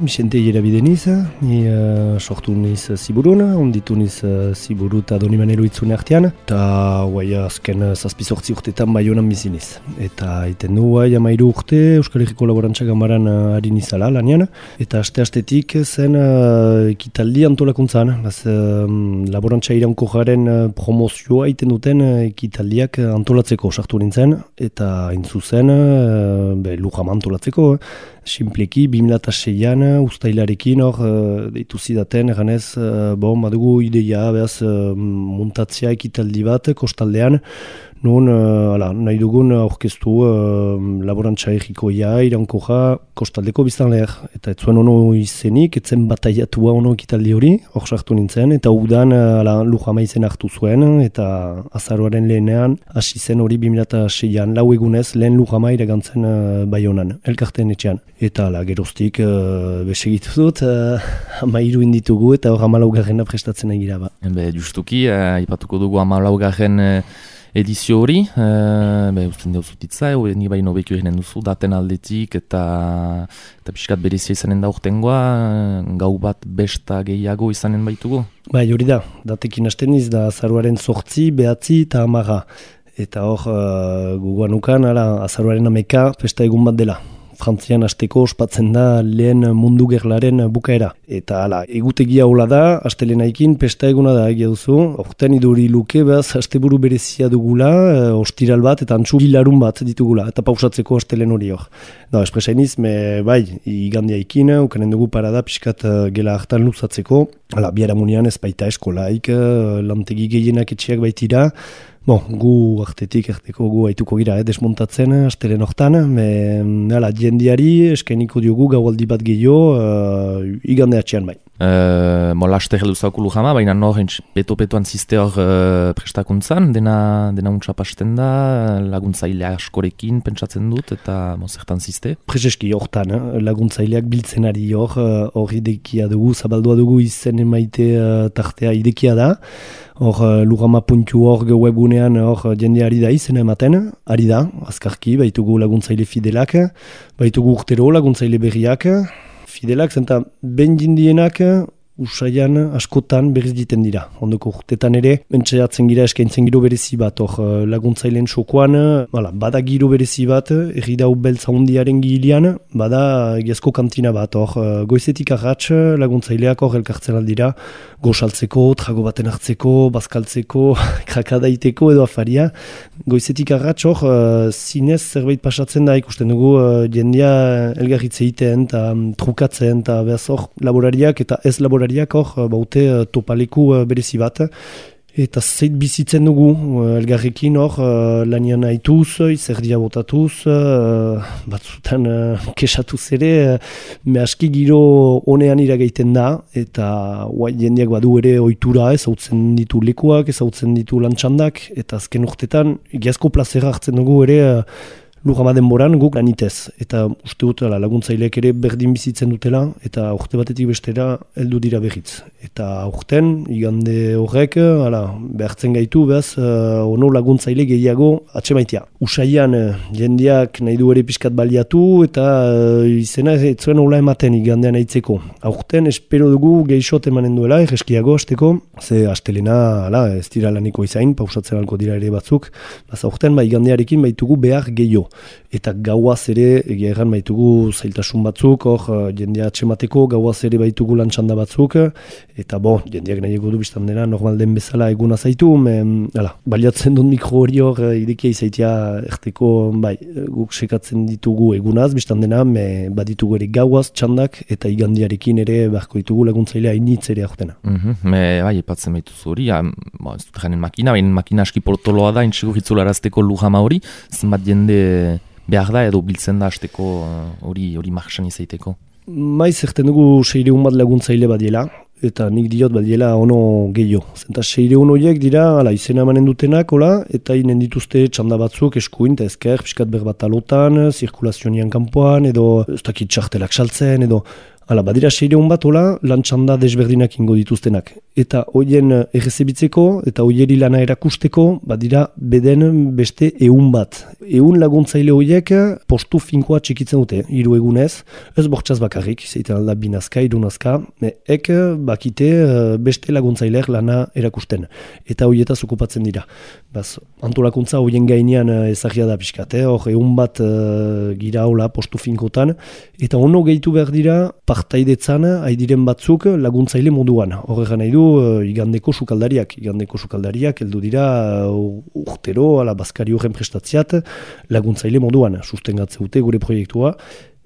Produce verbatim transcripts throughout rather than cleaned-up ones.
Vicente Ierabide niz, ni uh, sortu niz Ziburun, onditu niz uh, Ziburu eta Donimanero itzune artean, eta guai azken zazpizortzi urteetan Baionan bizi niz. Eta iten du guai amairu urte Euskal Herriko Laborantza Ganbaran uh, ari nizala lanian, eta aste-astetik zen uh, ekitaldi antolakuntzan, baz, uh, Laborantza Iraunkorraren uh, promozioa iten duten uh, ekitaldiak uh, antolatzeko sartu nintzen, eta hain zuzen uh, be, lujama antolatzeko, uh, Simpleki, bi mila seian ustailarekin hor uh, deitu zidaten, eganez, uh, bon, badugu ideia, behaz, uh, muntatzea ekitaldi bat, kostaldean, nun, uh, ala, nahi dugun aurkeztu uh, laborantza errikoia, iraunkorra, kostaldeko biztanleer. Eta ez zuen ono izenik, ez zen bataiatua ono ekitaldi hori, hor sartu nintzen, eta udan uh, lujama izen hartu zuen, eta azaroaren lehenean, hasi zen hori bi mila seian, lau egunez, lehen lujama iragantzen uh, Baionan, elkarteen etxean. Eta ala, geroztik uh, besegitu dut, uh, amairu inditugu eta hor amalaugarrena prestatzen egira ba. Be, justuki, uh, ipatuko dugu amalaugarren uh, edizio hori, uh, be, usten deuzutitza, uh, ni baino bekio eginen duzu, daten aldetik eta eta pixkat berezia izanen da urtengoa, uh, gau bat besta gehiago izanen baitugu? Bai, hori da, datekin hasten iz da azaruaren zortzi, behatzi eta amaga. Eta hor, uh, guguanukan, azaruaren ameka festa egun bat dela. Frantzian hasteko ospatzen da lehen mundu gerlaren bukaera. Eta hala, egutegia hola da, astelenaekin pesta eguna da egia duzu. Horten iduri luke, behaz, asteburu berezia dugula, e, ostiral bat eta antxu gilarun bat ditugula, eta pausatzeko astelen hori hor. Da, espresainiz, me, bai, igandiaikin, ukanen dugu parada pixkat gela hartan luzatzeko. Hala, biharamunian ez baita eskolaik, lantegi gehienak etxeak baitira. Bon, gu artetik, erteko gu haituko gira, eh, desmontatzen, astelen hortan, me, ala, jendiari eskainiko diogu gaualdi bat gehiago, uh, igande atxean bai. Uh, mo laste heldu zauku lujama, baina nor peto-petoan ziste hor uh, prestakuntzan, dena, dena untxapasten da, laguntzaile askorekin pentsatzen dut, eta mo zertan ziste? Prezeski hortan, eh, laguntzaileak biltzen ari hor, hor uh, idekia dugu, zabaldua dugu izen emaite uh, tartea idekia da, hor uh, lujama puntu hor webgunean hor jende ari da izena ematen, ari da, azkarki, baitugu laguntzaile fidelak, baitugu urtero laguntzaile berriak, fidelak, zenta ben jindienak usaian askotan berriz diten dira. Ondoko urtetan ere, mentxeatzen gira eskaintzen giro berezi bat, hor laguntzaileen sokoan, bada, bada giro berezi bat, erridau beltza hundiaren gilian, bada egiazko kantina bat, hor goizetik arratx laguntzaileak hor elkartzen aldira, gosaltzeko, trago baten hartzeko, bazkaltzeko, krakadaiteko edo afaria. Goizetik arratx hor, uh, zinez zerbait pasatzen da, ikusten dugu uh, jendea elgarritze egiten, eta um, trukatzen, eta behaz hor laborariak eta ez laborariak hor, uh, baute uh, topaleku uh, berezi bat. Eta zeit bizitzen dugu, uh, elgarrekin hor, uh, lanian haituz, izerdia botatuz, uh, batzutan uh, kesatuz ere, uh, me aski giro honean iragaiten da, eta uai, jendeak badu ere ohitura, ezautzen ditu lekuak, ezautzen ditu lantxandak, eta azken urtetan, egiazko plazera hartzen dugu ere, uh, lujama denboran guk lanitez. Eta uste dut laguntzaileak ere berdin bizitzen dutela, eta urte batetik bestera heldu dira berriz. Eta aurten, igande horrek, ala, behartzen gaitu, behaz, uh, ono laguntzaile gehiago atsemaitea. Usaian, uh, jendeak nahi du ere pixkat baliatu, eta uh, izena ez zuen hola ematen igandean aitzeko. Aurten, espero dugu gehixot emanen duela, erreskiago hasteko, ze astelena, ala, ez dira laniko izain, pausatzen alko dira ere batzuk, baz aurten, ba, igandearekin baitugu behar gehiago. Eta gauaz ere, egia erran baitugu zailtasun batzuk, hor jendea atxemateko, gauaz ere baitugu lantxanda batzuk, eta bo, jendeak nahi egu du biztan dena, normal den bezala eguna zaitu, me, ala, baliatzen dut mikro hori hor, idekia izaitia erteko, bai, guk sekatzen ditugu egunaz, biztan dena, me baditugu ere gauaz, txandak, eta igandiarekin ere beharko ditugu laguntzailea initz ere aurtena. Mm-hmm. Me, bai, epatzen baituz hori, ja, ba, ez dut janen makina, baina makina aski portoloa da, intxego hitzularazteko lujama hori, zenbat jende behar da edo biltzen da hasteko hori hori marxan izaiteko? Maiz erten dugu seireun bat laguntzaile badiela, eta nik diot badiela ono gehiago. Zenta seireun horiek dira, ala, izena emanen dutenak, hola, eta inen dituzte txanda batzuk eskuin, eta ezker, piskat berbat alotan, zirkulazionian kanpoan, edo ez dakit txartelak saltzen, edo ala, badira seireun bat, hola, lan txanda desberdinak ingo dituztenak. eta hoien errezebitzeko eta hoieri lana erakusteko, badira beden beste ehun bat. Ehun laguntzaile horiek postu finkoa txikitzen dute, hiru egunez, ez bortxaz bakarrik, zeiten alda binazka, irunazka, ek bakite beste laguntzaileak lana erakusten, eta horietaz okupatzen dira. Baz, antolakuntza horien gainean ezagia da pixkat, eh? Hor ehun bat uh, gira hola postu finkotan, eta ono gehitu behar dira partaidetzan haidiren batzuk laguntzaile moduan. Horregan nahi du uh, igandeko sukaldariak, igandeko sukaldariak heldu dira uh, urtero, ala bazkari horren prestatziat, laguntzaile moduan, sustengatze dute gure proiektua,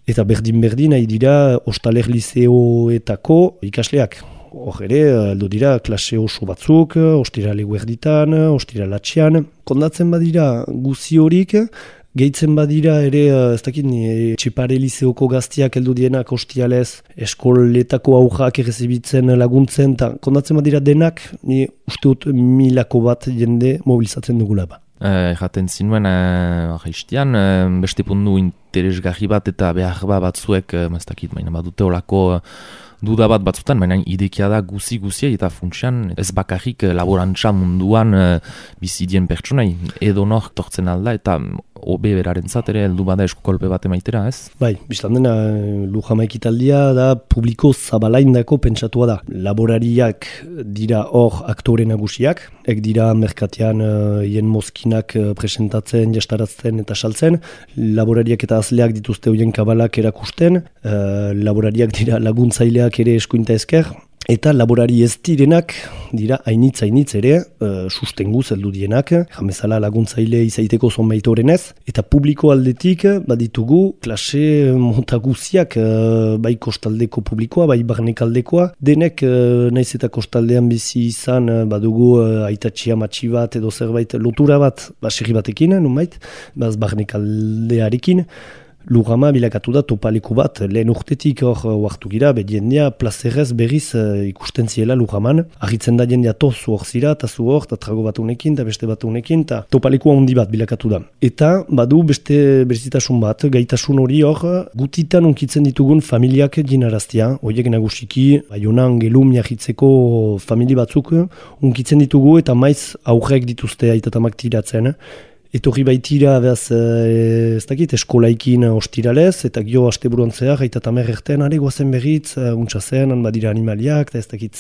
eta berdin-berdin nahi dira Ostaler Lizeoetako ikasleak. Hor ere, heldu dira klase oso batzuk, ostirale guerditan, ostiralatxean. Kondatzen badira guzi horik, gehitzen badira ere, ez dakit, Txipare Lizeoko gaztiak heldu dienak ostialez, eskoletako aurrak errezibitzen laguntzen, eta kondatzen badira denak, ni uste dut milako bat jende mobilizatzen dugula ba. Erraten uh, zinuen, uh, arraiztian, uh, beste pundu interesgarri bat eta behar bat batzuek, uh, ez dakit, baina badute olako uh, duda bat batzutan, baina idekia da guzi-guzia eta funtsian ez bakarrik laborantza munduan uh, bizidien pertsonai, edo nor tortzen alda eta obe berarentzat ere heldu bada eskukolpe bat emaitera, ez? Bai, biztan dena Lujama ekitaldia da publiko zabalaindako pentsatua da. Laborariak dira hor aktore nagusiak, ek dira merkatean hien uh, mozkinak uh, presentatzen, jastaratzen eta saltzen, laborariak eta azleak dituzte hoien kabalak erakusten, uh, laborariak dira laguntzaileak ere eskuinta esker, eta laborari ez direnak dira hainitz-hainitz ere uh, sustenguz heldu dienak, jamezala laguntzaile izaiteko zonbaitorenez, eta publiko aldetik baditugu klase mota guziak, uh, bai kostaldeko publikoa, bai barnekaldekoa, denek uh, naiz eta kostaldean bizi izan uh, badugu uh, aitatxia matxi bat edo zerbait lotura bat baserri batekin, nunbait, baz barnekaldearekin, Lujama bilakatu da topaleku bat, lehen urtetik hor huartu gira, be jendea plazerrez berriz uh, ikusten ziela Lujaman. Argitzen da jendea tozu hor zira, eta zu hor, eta trago bat unekin, eta beste bat unekin, eta topaleku handi bat bilakatu da. Eta badu beste berezitasun bat, gaitasun hori hor, gutitan unkitzen ditugun familiak jinaraztia, horiek nagusiki, Baionan Gelum jarritzeko famili batzuk unkitzen ditugu, eta maiz aurrek dituzte aitatamak tiratzen. Etorri baitira, behaz, ez dakit, eskolaikin ostiralez, eta gio asteburuan zehar, eta tamer erten, are guazen berriz, untsa zen, han badira animaliak, eta ez dakit,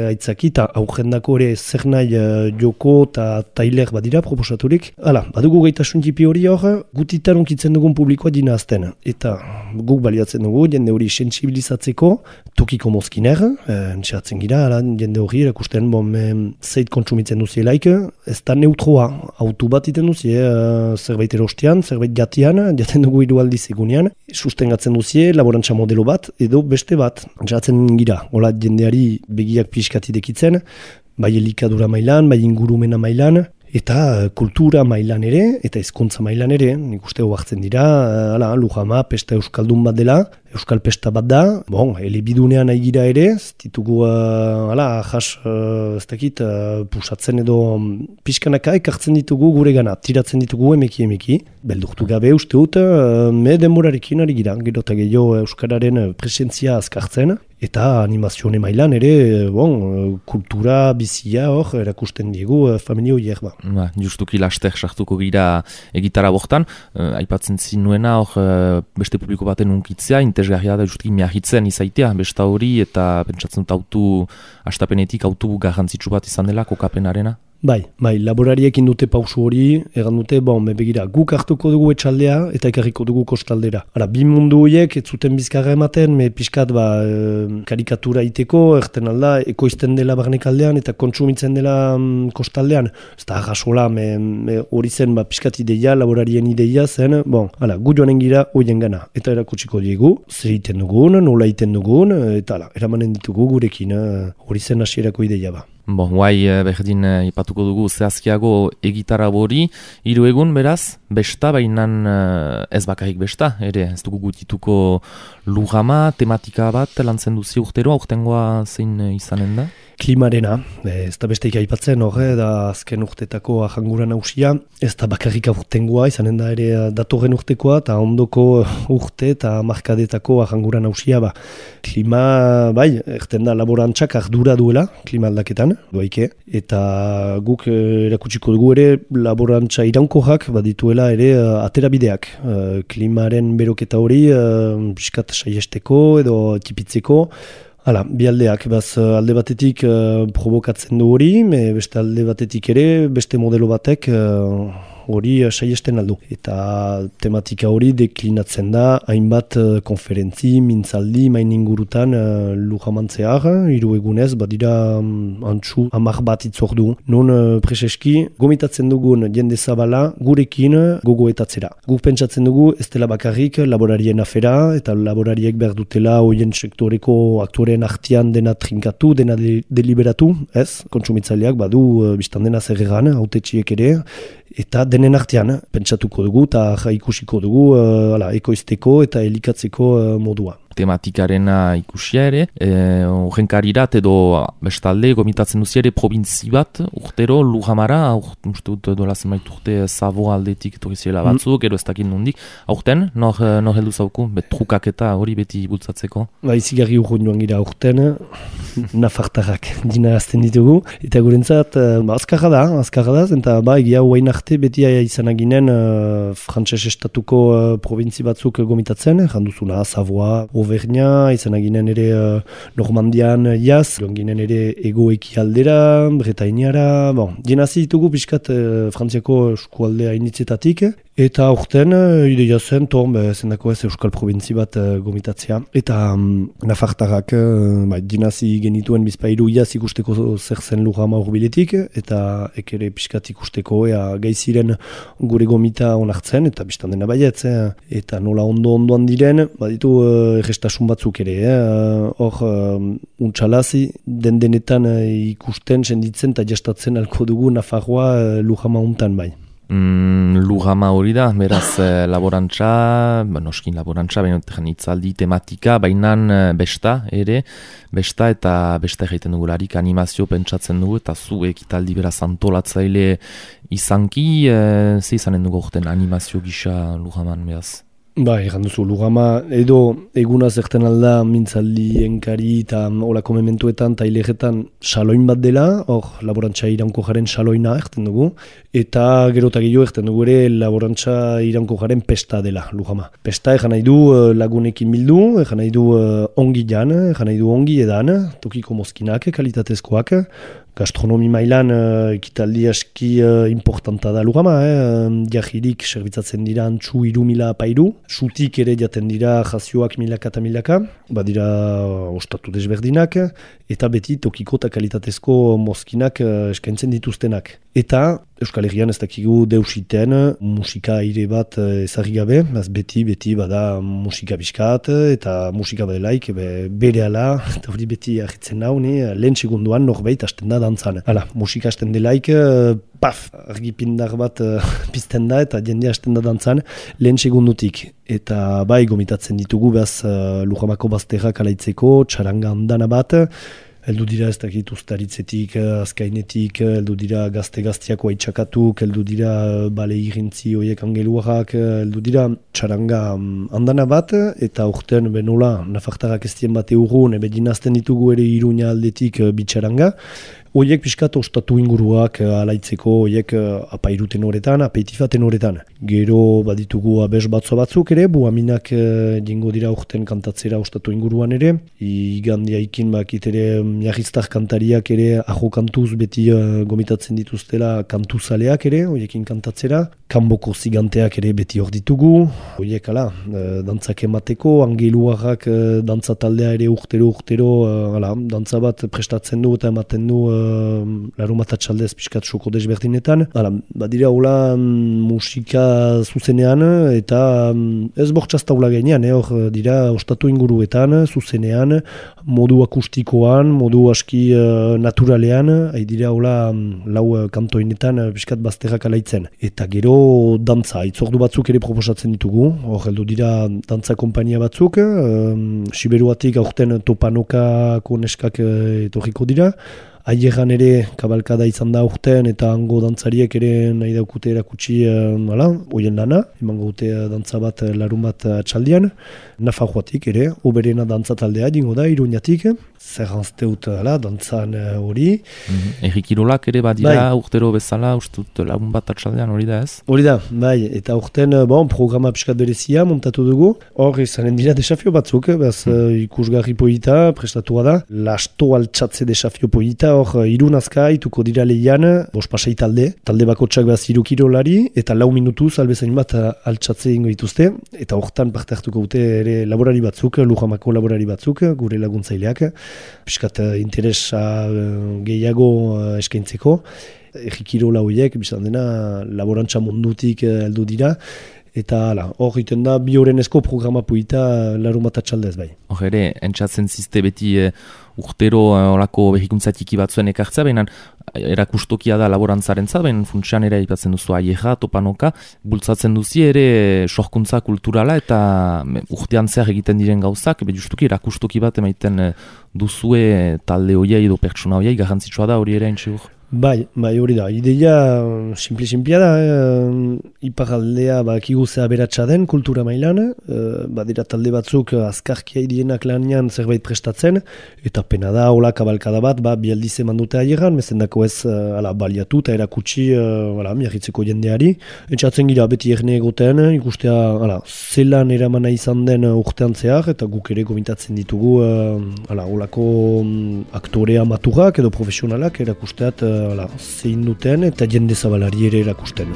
aitzaki, eta aurrendako ere zer nahi joko eta tailer badira proposaturik. Hala, badugu gaitasun jipi hori hor, gutitan unkitzen dugun publikoa dina azten. Eta guk baliatzen dugu, jende hori sensibilizatzeko, tokiko mozkiner, entxeatzen gira, ala, jende hori erakusten, bon, zeit kontsumitzen duzielaik, ez da neutroa, autu bat iten duzi, Uh, zerbait erostean, zerbait jatian, jaten dugu hiru aldiz egunean, sustengatzen duzie laborantza modelo bat, edo beste bat, jatzen gira, hola jendeari begiak pixkati dekitzen, bai elikadura mailan, bai ingurumena mailan, eta kultura mailan ere, eta hezkuntza mailan ere, nik uste hartzen dira, ala, Lujama, pesta euskaldun bat dela, euskal pesta bat da, bon, elebidunean nahi gira ere, ez ditugu, uh, ala, jas, uh, ez dakit, uh, pusatzen edo pixkanaka ekartzen ditugu gure gana, tiratzen ditugu emeki emeki, beldurtu gabe uste dut, uh, me denborarekin ari gira, gero eta gehiago euskararen presentzia azkartzen, eta animazione mailan ere, bon, kultura bizia hor, erakusten diegu familio horiek ba. Ba, justuki laster sartuko gira egitara bortan, uh, aipatzen zinuena hor uh, beste publiko baten unkitzea, interesgarria da justuki miahitzen izaitea, besta hori, eta pentsatzen dut autu, astapenetik autu garrantzitsu bat izan dela kokapenarena. Bai, bai, laborariekin dute pausu hori, egan dute, bon, begira, guk hartuko dugu etxaldea eta ekarriko dugu kostaldera. Ara, bi mundu horiek, ez zuten bizkarra ematen, me pixkat, ba, e, karikatura iteko, erten alda, ekoizten dela barnekaldean eta kontsumitzen dela mm, kostaldean. Ez da, agasola, hori zen, ba, pixkat ideia, laborarien ideia zen, bon, ala, gu joanen gira hoien gana. Eta erakutsiko diegu, zer iten dugun, nola iten dugun, eta ala, eramanen ditugu gurekin, hori zen hasierako ideia ba. Bon, guai berdin ipatuko dugu zehazkiago egitara hori, hiru egun beraz, besta, bainan ez bakarrik besta, ere ez dugu gutituko Lujama, tematika bat lantzen duzi urtero, aurtengoa zein izanen da? klimarena, ez da besteik aipatzen horre, da azken urtetako ahangura nausia, ez da bakarrik aurtengoa, izanen da ere datorren urtekoa, eta ondoko urte eta markadetako ahangura nausia, ba, klima, bai, erten da laborantzak ardura duela, klima aldaketan, doaike, eta guk erakutsiko dugu ere laborantza iraunkorrak badituela ere aterabideak, klimaren beroketa hori, piskat saiesteko edo tipitzeko. Hala, bi aldeak, baz alde batetik uh, provokatzen du hori, me beste alde batetik ere, beste modelo batek uh, hori uh, saiesten aldu. Eta tematika hori deklinatzen da, hainbat uh, konferentzi, mintzaldi, main ingurutan uh, lujamantzear, hiru egunez, badira um, antxu hamar bat itzordu. Non uh, preseski, gomitatzen dugun jende zabala gurekin gogoetatzera. Guk pentsatzen dugu ez dela bakarrik laborarien afera, eta laborariek behar dutela hoien sektoreko aktoreen artean dena trinkatu, dena de deliberatu, ez? Kontsumitzaileak badu uh, biztan dena zer egan, hautetxiek ere, eta denen artean pentsatuko dugu eta ikusiko dugu uh, ala, ekoizteko eta elikatzeko uh, modua. Tematikarena ikusia ere, horrenkarirat e, edo bestalde gomitatzen duzi ere probintzi bat urtero Lujamara, uste dut dola zenbait urte Savo aldetik etorriziela batzuk, mm. edo ez dakit nondik, aurten, nor, nor heldu zauku, bet trukak eta hori beti bultzatzeko? Ba, izigarri urgun joan gira aurten, nafartarrak dina azten ditugu, eta gurentzat, ba, azkarra da, azkarra da, eta ba, egia huain arte beti izan aginen uh, frantses estatuko uh, probintzi batzuk gomitatzen, janduzuna, Savoa, Auvergna, izan aginen ere uh, Normandian jaz, joan ginen ere egoeki aldera, Bretainiara, bon, jenazi ditugu pixkat uh, Frantziako eskualdea initzetatik, eta aurten uh, ideia zen, ton, be, zendako ez Euskal Probintzi bat uh, gomitatzea, eta um, nafartarrak uh, ba, jenazi genituen bizpairu jaz ikusteko zer zen Lujama urbiletik, eta ekere pixkat ikusteko ea gaiziren gure gomita onartzen, eta biztan dena baietz, eh? Eta nola ondo-ondoan diren, baditu uh, errestasun batzuk ere, hor eh? uh, untxalazi, den denetan uh, ikusten, senditzen eta jastatzen alko dugu Nafarroa uh, Lujama untan bai. Mm, Lujama hori da, beraz eh, laborantza, ba, noskin laborantza, baina itzaldi tematika, bainan eh, besta ere, besta eta besta egiten dugularik animazio pentsatzen dugu, eta zu ekitaldi beraz antolatzaile izanki, eh, ze izanen dugu orten animazio gisa Lujaman beraz? Ba, egan duzu, Lujama, edo eguna zerten alda mintzaldi enkari eta olako mementuetan eta hilegetan saloin bat dela, hor laborantza iraunko jaren saloina erten dugu, eta gero eta gehiago erten dugu ere laborantza iraunko jaren pesta dela, Lujama. Pesta egan nahi du lagunekin bildu, egan nahi du ongi jan, egan nahi du ongi edan, tokiko mozkinak, kalitatezkoak, gastronomi mailan uh, ekitaldi aski uh, importanta da Lujama, eh? Jahirik serbitzatzen dira antxu iru mila pairu, sutik ere jaten dira jazioak milaka eta milaka, badira uh, ostatu desberdinak, eta beti tokiko eta kalitatezko mozkinak uh, eskaintzen dituztenak. Eta Euskal Herrian ez dakigu deusiten musika aire bat ezagri gabe, beti, beti bada musika biskat, eta musika badelaik be, bere ala, eta hori beti ahitzen nau, lehen segunduan norbait hasten da dantzan. Hala, musika hasten delaik, paf, argipindar bat uh, pizten da, eta jende hasten da dantzan lehen segundutik. Eta bai, gomitatzen ditugu behaz uh, Lujamako bazterrak alaitzeko, txaranga handana bat, heldu dira ez dakit ustaritzetik, azkainetik, heldu dira gazte-gaztiako haitxakatuk, heldu dira bale irintzi horiek angeluarrak, heldu dira txaranga handana bat, eta urten benola, nafartarrak ez dien bate urrun, ebe dinazten ditugu ere Iruña aldetik bitxaranga, Oiek pixkat ostatu inguruak alaitzeko, oiek apairuten horretan, apeitifaten horretan. Gero baditugu abes batzo batzuk ere, buaminak jengo dira urten kantatzera ostatu inguruan ere. Igandiaikin bakit ere miarriztar kantariak ere ajo kantuz beti uh, gomitatzen dituztela kantuzaleak ere, oiekin kantatzera. Kanboko ziganteak ere beti hor ditugu. Oiek ala, uh, dantzak emateko, angeluarrak uh, dantza taldea ere urtero urtero, uh, ala, dantza bat prestatzen du eta ematen du uh, uh, larun bat atxaldez pixkat soko desberdinetan. Hala, badira hola musika zuzenean eta um, ez bortxaztaula gainean, eh, hor dira ostatu inguruetan, zuzenean, modu akustikoan, modu aski uh, naturalean, hai dira hola um, lau uh, kantoinetan uh, pixkat bazterrak alaitzen. Eta gero dantza, itzordu batzuk ere proposatzen ditugu, hor heldu dira dantza kompainia batzuk, um, Siberuatik aurten Topanokako neskak uh, etorriko dira, Aieran ere kabalkada izan da urtean eta hango dantzariek ere nahi daukute erakutsi hala, hoien lana, emango dute dantza bat larun bat atxaldian. Nafarroatik ere, oberena dantza taldea dingo da, Iruñatik, zerranzte dut hala, dantzan hori. Mm-hmm. Erri kirolak ere badira bai. Urtero bezala, ustut larun bat atxaldean hori da ez? Hori da, bai, eta urten bon, programa pixkat berezia montatu dugu. Hor, izanen dira desafio batzuk, bez mm. ikusgarri polita, prestatua da. Lasto altxatze desafio polita, hor Irun Azkai, tuko dira lehian, bos pasai talde, talde bakotsak behaz hiru kirolari, eta lau minutuz albezain bat altxatze ingo dituzte, eta hortan parte hartuko dute ere laborari batzuk, Lujamako laborari batzuk, gure laguntzaileak, piskat interesa gehiago eskaintzeko, erri kirola horiek, bizan dena laborantza mundutik heldu dira, eta hor egiten da bi horrenezko programa puita larun bat atxaldez bai. Hor ere, entzatzen zizte beti e, urtero horako behikuntza tiki batzuen ekartzea, baina erakustokia da laborantzaren zat, baina funtsian ere aipatzen duzu Aieja, Topanoka, bultzatzen duzi ere sorkuntza kulturala eta urtean zehar egiten diren gauzak, be justuki erakustoki bat emaiten duzue talde hoiai edo pertsona hoiai, garrantzitsua da hori ere entzigur. Bai, bai hori da. Ideia simpli-simplia da, eh, iparaldea bakigu zea beratsa den kultura mailan, eh, badira talde batzuk azkarkia idienak lanean zerbait prestatzen, eta pena da, hola kabalkada bat, ba, bi aldiz eman dute aieran, mezendako ez uh, ala, baliatu eta erakutsi uh, miarritzeko jendeari. Entzatzen gira beti erne egoten, ikustea ala, zelan eramana izan den urtean zehar, eta guk ere gomitatzen ditugu uh, ala, holako um, aktorea maturak edo profesionalak erakusteat uh, Hala, zein duten eta jende zabalari ere erakusten.